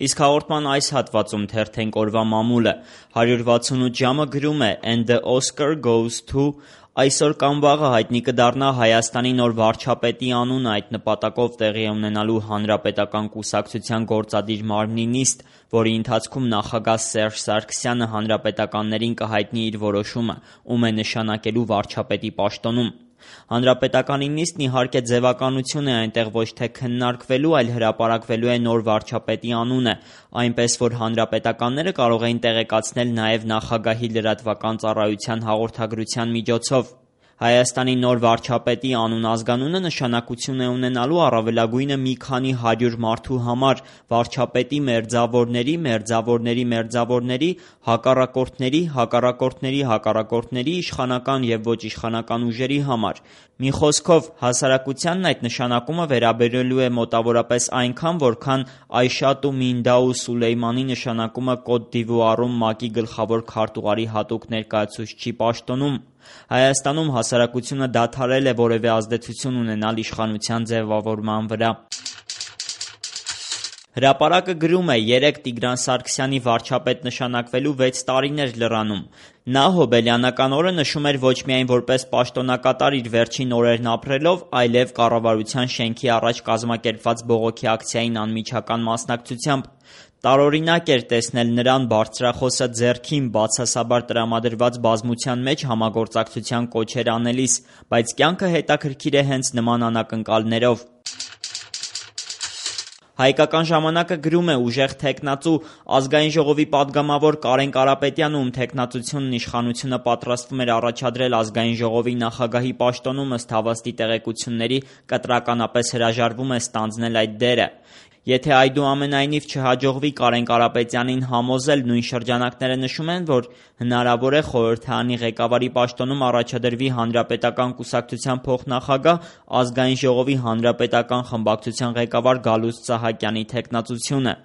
Իսկ հաղորդման այս հատվածում թերթենք օրվա մամուլը 168 ժամը գրում է «And the Oscar goes to...» Այսօր կամ վաղը հայտնի կդառնա Հայաստանի նոր վարչապետի անունը, այդ նպատակով տեղի է ունենալու Հանրապետական կուսակցության գործադիր մարմնի նիստ, որի ընթացքում նախագահ Սերժ Սարգսյանը հանրապետականներին կհայտնի իր որոշումը, ում է նշանակելու վարչապետի պաշտոնում։ Հանրապետականի նիստն իհարկե ձևականություն է, այնտեղ ոչ թե քննարկվելու, այլ հրապարակվելու է նոր վարչապետի անունը, այնպես որ հանրապետականները կարող էին տեղեկացնել նաև նախագահի լրատվական ծառայության հաղորդագրության միջոցով։ Հայաստանի նոր վարչապետի անուն-ազգանունը նշանակություն է ունենալու առավելագույնը մի քանի 100 մարդու համար, վարչապետի մերձավորների, մերձավորների մերձավորների, հակառակորդների, հակառակորդների հակառակորդների, իշխանական և ոչ իշխանական ուժերի համար։ Մի խոսքով, հասարակությանն այդ նշանակումը վերաբերելու է մոտավորապես այնքան, որքան Այշաթ ու Մինդաու Սուլեյմանի նշանակումը Կոտ դ'Իվուարում ՄԱԿ-ի գլխավոր քարտուղարի հատուկ ներկայացուցչի պաշտոնում։ Հայաստանում հասարակությունը դադարել է որևէ ազդեցություն ունենալ իշխանության ձևավորման վրա։ Հրապարակը գրում է. «Երեկ Տիգրան Սարգսյանի վարչապետ նշանակվելու 6 տարիներ լրանում։ Նա հոբելյանական օրը նշում էր ոչ միայն որպես պաշտոնակատար իր վերջին օրերն ապրելով, այլև կառավարության շենքի առաջ կազմակերպված բողոքի ակցիային անմիջական մասնակցությամբ։ Տարօրինակ էր տեսնել նրան բարձրախոսը ձեռքին բացասաբար տրամադրված բազմության մեջ համագործակցության կոչեր անելիս, բայց կյանքը հետաքրքիր է հենց նման անակնկալներով»։ Հայկական ժամանակը գրում է. «Ուժեղ թեկնածու Ազգային ժողովի պատգամավոր Կարեն Կարապետյանը, ում թեկնածությունն իշխանությունը պատրաստվում էր առաջադրել Ազգային ժողովի նախագահի պաշտոնում, ըստ հավաստի տեղեկությունների, կտրականապես հրաժարվում է ստանձնել այդ դերը։ Եթե այդուամենայնիվ չհաջողվի Կարեն Կարապետյանին համոզել, նույն շրջանակները նշում են, որ հնարավոր է խորհրդարանի ղեկավարի պաշտոնում առաջադրվի Հանրապետական կուսակցության փոխնախագահ, Ազգային ժողովի հանրապետական խմբակցության ղեկավար Գալուստ Սահակյանի թեկնածությունը։